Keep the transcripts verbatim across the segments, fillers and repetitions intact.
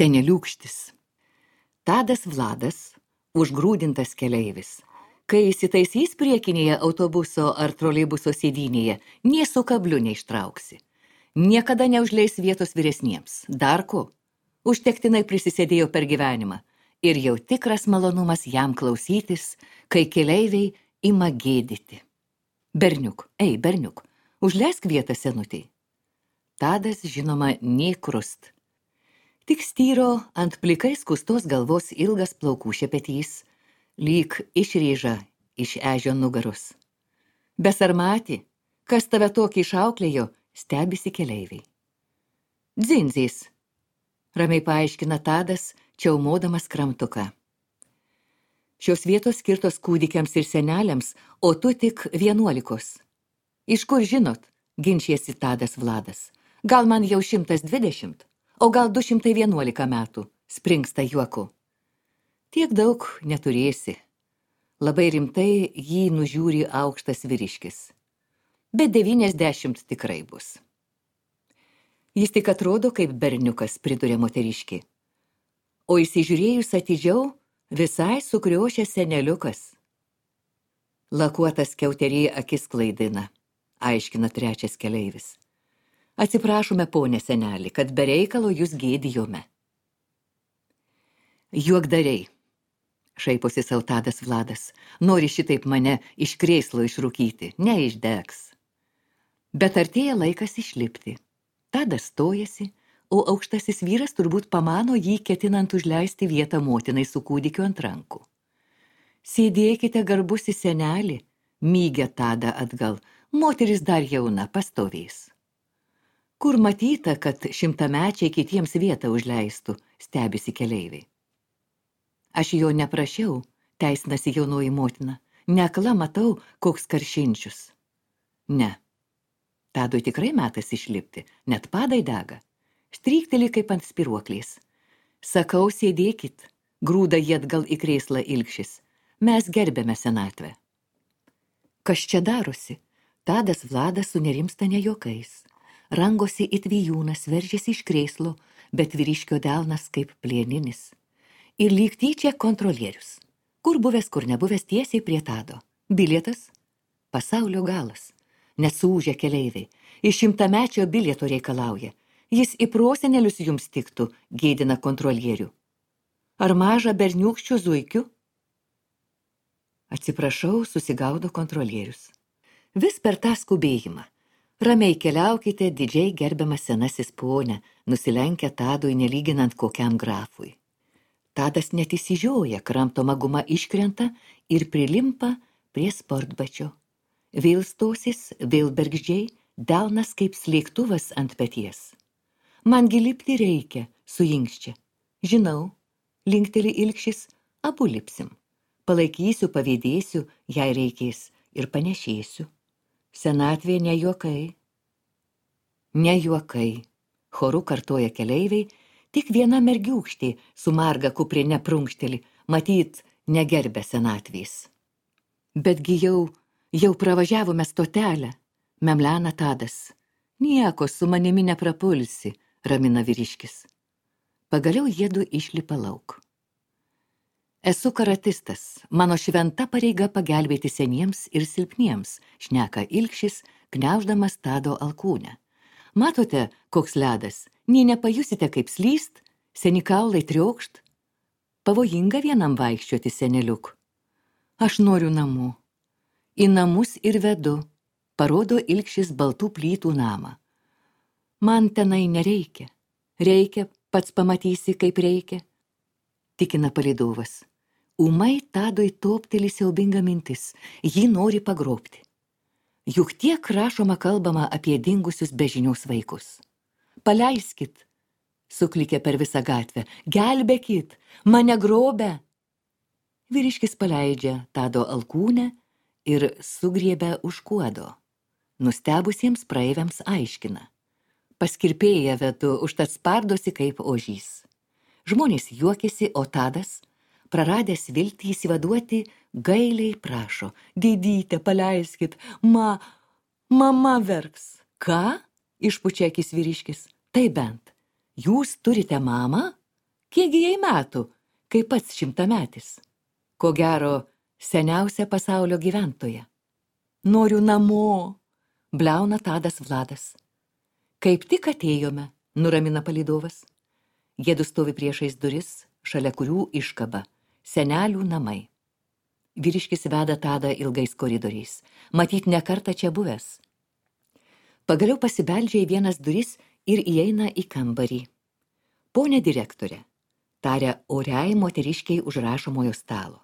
Seneliūkštis. Tadas Vladas, užgrūdintas keleivis. Kai įsitaisys priekinėje autobuso ar troleibuso sėdynėje, nė su kabliu neištrauksi. Niekada neužleis vietos vyresniems. Dar ko? Užtektinai prisisėdėjo per gyvenimą. Ir jau tikras malonumas jam klausytis, kai keleiviai ima gėdyti. Berniuk, ei, berniuk, užleisk vietą senutei. Tadas, žinoma, nė krust. Tik styro ant plikai skustos galvos ilgas plaukų šepetys, lyg išrėža iš ežio nugarus. Besarmati, kas tave tokį išauklėjo, stebisi keleiviai. Dzinzys, ramiai paaiškina Tadas, čiaumodamas kramtuką. Šios vietos skirtos kūdikiams ir seneliams, o tu tik vienuolikos. Iš kur žinot, ginčiasi Tadas Vladas. Gal man jau šimtas dvidešimt, o gal du šimtai vienuolika metų, springsta juoku. Tiek daug neturėsi. Labai rimtai jį nužiūri aukštas vyriškis. Bet devyniasdešimt tikrai bus. Jis tik atrodo kaip berniukas, priduria moteriškė. O įsižiūrėjus atidžiau, visai sukriošęs seneliukas. Lakuotas skiauterį akis klaidina, aiškina trečias keleivis. Atsiprašome, ponė senelį, kad be reikalo jūs gėdijome. Juokdariai, šaiposi sau Tadas Vladas, nori šitaip mane iš krėslo išrūkyti, neišdegs. Bet artėja laikas išlipti. Tadas stojasi, o aukštasis vyras turbūt pamano jį ketinant užleisti vietą motinai su kūdikiu ant rankų. Sėdėkite, garbusi senelį, mygia Tadą atgal, moteris dar jauna, pastovės. Kur matyta, kad šimtamečiai kitiems vietą užleistų, stebisi keleiviai. Aš jo neprašiau, teisinasi jaunoji motina, neakla matau, koks karšinčius. Ne, Tadui tikrai metas išlipti, net padai dega. Strykteli kaip ant spiruoklės. Sakau, sėdėkit, grūda jį atgal į krėslą ilgšis. Mes gerbėme senatvę. Kas čia darosi? Tadas Vladas sunerimsta ne juokais. Rangosi it vijūnas, veržiasi iš krėslo, bet vyriškio delnas kaip plieninis. Ir lyg tyčia kontrolierius. Kur buvęs, kur nebuvęs, tiesiai prie Tado. Bilietas? Pasaulio galas. Nesūžę keleiviai. Iš šimtamečio bilieto reikalauja. Jis į prosenelius jums tiktų, gėdina kontrolierių. Ar mažą berniūkščių zuikių? Atsiprašau, susigaudo kontrolierius. Vis per tą skubėjimą. Ramiai keliaukite, didžiai gerbiamas senasis ponė, nusilenkia Tadui nelyginant kokiam grafui. Tadas net įsižioja, kramtoma guma iškrenta ir prilimpa prie sportbačio. Vėl stosis, vėl bergždžiai, delnas kaip slėgtuvas ant peties. Mangi lipti reikia, suinkščia. Žinau, linkteli ilgšis, abu lipsim. Palaikysiu, pavydėsiu, jei reikės, ir panešėsiu. Senatvė ne juokai. Ne juokai, choru kartoja keleiviai, tik viena mergiūkštė su marga kuprine prunkšteli, matyt, negerbė senatvės. Betgi jau, jau pravažiavome stotelę, memlena Tadas. Nieko su manimi neprapulsi, ramina vyriškis. Pagaliau jiedu išlipa lauk. Esu karatistas, mano šventa pareiga pagelbėti seniems ir silpniems, šneka ilgšis, gniauždamas Tado alkūnę. Matote, koks ledas, nė nepajusite kaip slyst, seni kaulai triokšt. Pavojinga vienam vaikščioti, seneliuk. Aš noriu namų. Į namus ir vedu, parodo ilgšis baltų plytų namą. Man tenai nereikia. Reikia, pats pamatysi, kaip reikia. Tikina palydovas. Ūmai Tadui topteli siaubinga mintis, jį nori pagrobti. Juk tiek rašoma kalbama apie dingusius bežiniaus vaikus. Paleiskit, suklikė per visą gatvę, gelbėkit, mane grobia. Vyriškis paleidžia Tado alkūnę ir sugriebia už kuodo. Nustebusiems praeiviams aiškina. Paskirpėję vedu, užtat spardosi kaip ožys. Žmonės juokėsi, o Tadas, praradęs viltį įsivaduoti, gailiai prašo. Didyte, paleiskit, ma, mama verks. Ką? Išpučia akis vyriškis. Tai bent, jūs turite mamą? Kiekgi jai metų, kai pats šimtametis? Ko gero, seniausia pasaulio gyventoja. Noriu namo, bliauna Tadas Vladas. Kaip tik atėjome, nuramina palydovas. Jiedu stovi priešais duris, šalia kurių iškaba senelių namai. Vyriškis veda Tadą ilgais koridoriais, matyt ne kartą čia buvęs. Pagaliau pasibeldžia į vienas duris ir įeina į kambarį. Pone direktorė, taria oriai moteriškiai už rašomojo stalo.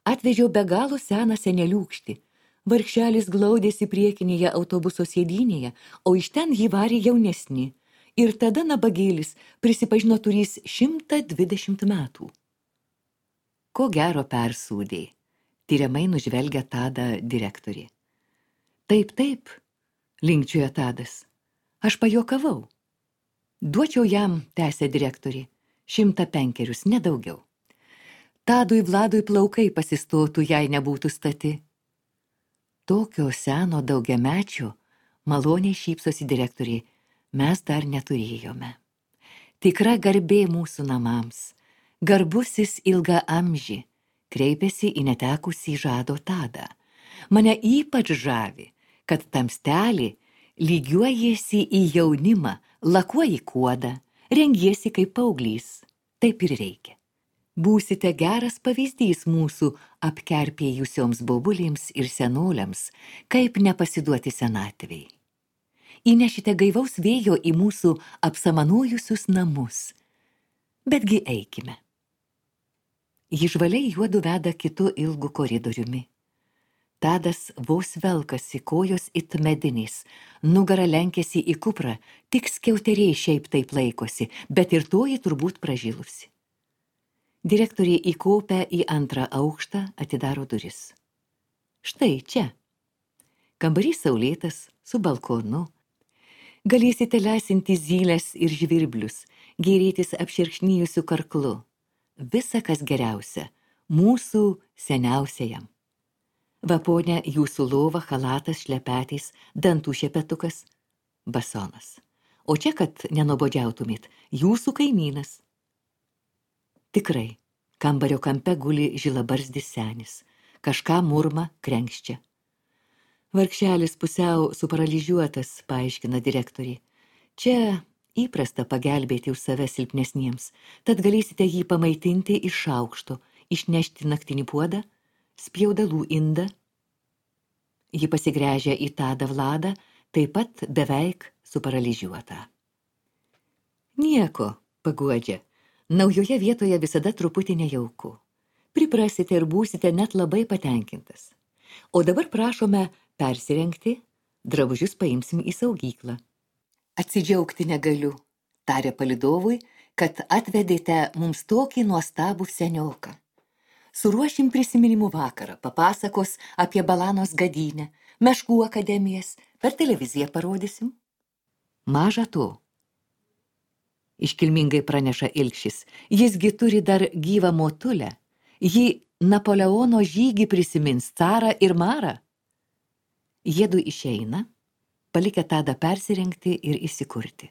Atvežiau be galo seną seneliūkštį. Vargšelis glaudėsi priekinėje autobuso sėdynėje, o iš ten jį varė jaunesni. Ir tada nabagėlis prisipažino turys šimtą dvidešimt metų. Ko gero persūdė, tyriamai nužvelgia Tadą direktorė. Taip, taip, linkčioja Tadas. Aš pajuokavau. Duočiau jam, tęsė direktorė, šimtą penkerius, nedaugiau. Tadui Vladui plaukai pasistotų, jei nebūtų stati. Tokio seno daugiamečio, maloniai šypsosi direktoriai, mes dar neturėjome. Tikra garbė mūsų namams, garbusis ilga amži, kreipėsi į netekusį žado Tadą. Mane ypač žavi, kad tamstelį lygiuojasi į jaunimą, lakuoji kuodą, rengiesi kaip paauglys. Taip ir reikia. Būsite geras pavyzdys mūsų apkerpėjusioms bobulėms ir senoliams, kaip nepasiduoti senatvei. Įnešite gaivaus vėjo į mūsų apsamanojusius namus. Betgi eikime. Ji žvaliai juodu veda kitu ilgu koridoriumi. Tadas vos velkasi, kojos it medinės, nugara lenkėsi į kuprą, tik skiauteriai šiaip taip laikosi, bet ir toji turbūt pražilusi. Direktorė įkopia į antrą aukštą, atidaro duris. Štai čia. Kambarys saulėtas, su balkonu. Galėsite lesinti zylės ir žvirblius, gėrėtis apšerkšnijusiu karklu. Visa, kas geriausia, mūsų seniausiajam. Va, ponia, jūsų lova, chalatas, šlepetės, dantų šepetukas, basonas. O čia, kad nenobodžiautumėt, jūsų kaimynas. Tikrai, kambario kampe guli žilabarzdis senis, kažką murma, krenkščia. Vargšelis pusiau suparalyžiuotas, paaiškina direktorė. Čia įprasta pagelbėti už save silpnesniems, tad galėsite jį pamaitinti iš aukšto, išnešti naktinį puodą, spjaudalų indą. Ji pasigręžia į Tadą Vladą, taip pat beveik suparalyžiuotą. Nieko, paguodžia. Naujoje vietoje visada truputį nejauku. Priprasite ir būsite net labai patenkintas. O dabar prašome persirengti, drabužius paimsim į saugyklą. Atsidžiaugti negaliu, tarė palydovui, kad atvedėte mums tokį nuostabų senioką. Suruošim prisiminimų vakarą, papasakos apie Balanos gadynę, meškų akademijas, per televiziją parodysim. Maža to. Iškilmingai praneša Ilkšis, jisgi turi dar gyvą motulę. Ji Napoleono žygį prisimins, carą ir marą. Jiedu išeina, palikę Tadą persirengti ir įsikurti.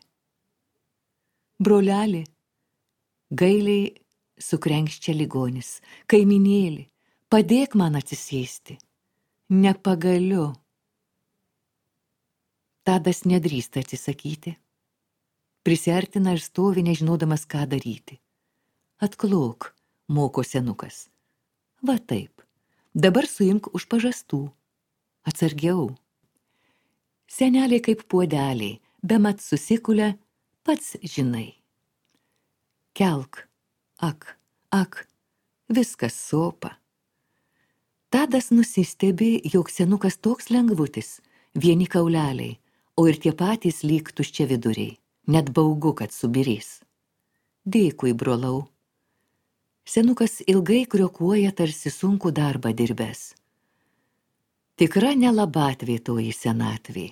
Broleli, gailiai sukrenkščia ligonis, kaiminėli, padėk man atsisėsti. Nepagaliu. Tadas nedrįsta atsisakyti. Prisiartina ir stovi, nežinodamas, ką daryti. Atklok, moko senukas. Va taip, dabar suimk už pažastų. Atsargiau. Seneliai kaip puodeliai, bemat susikulia, pats žinai. Kelk, ak, ak, viskas sopa. Tadas nusistebi, jog senukas toks lengvutis, vieni kauleliai, o ir tie patys lyg tuščia viduriai. Net baugu, kad subirės. Dėkui, brolau. Senukas ilgai kriokuoja tarsi sunku darbą dirbęs. Tikra nelabatvė toji senatvė.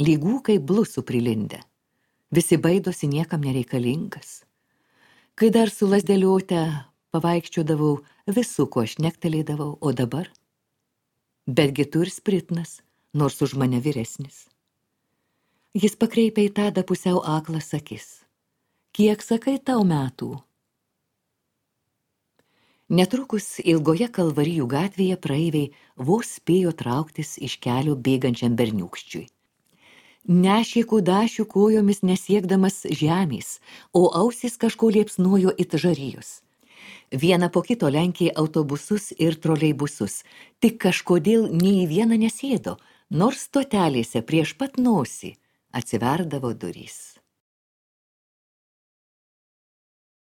Lygų kaip blusų prilindę. Visi baidosi niekam nereikalingas. Kai dar su lazdėliuote pavaikščiodavau, visų ko aš nektelėdavau, o dabar? Betgi tu ir spritnas, nors už mane vyresnis. Jis pakreipia į Tadą pusiau aklas akis. Kiek sakai tau metų? Netrukus ilgoje Kalvarijų gatvėje praeiviai vos spėjo trauktis iš kelio bėgančiam berniūkščiui. Nešė kudašių kojomis nesiekdamas žemės, o ausys kažko liepsnojo it žarijos. Vieną po kito lenkė autobusus ir troleibusus, tik kažkodėl nei į vieną nesėdo, nors stotelėse prieš pat nosį atsiverdavo durys.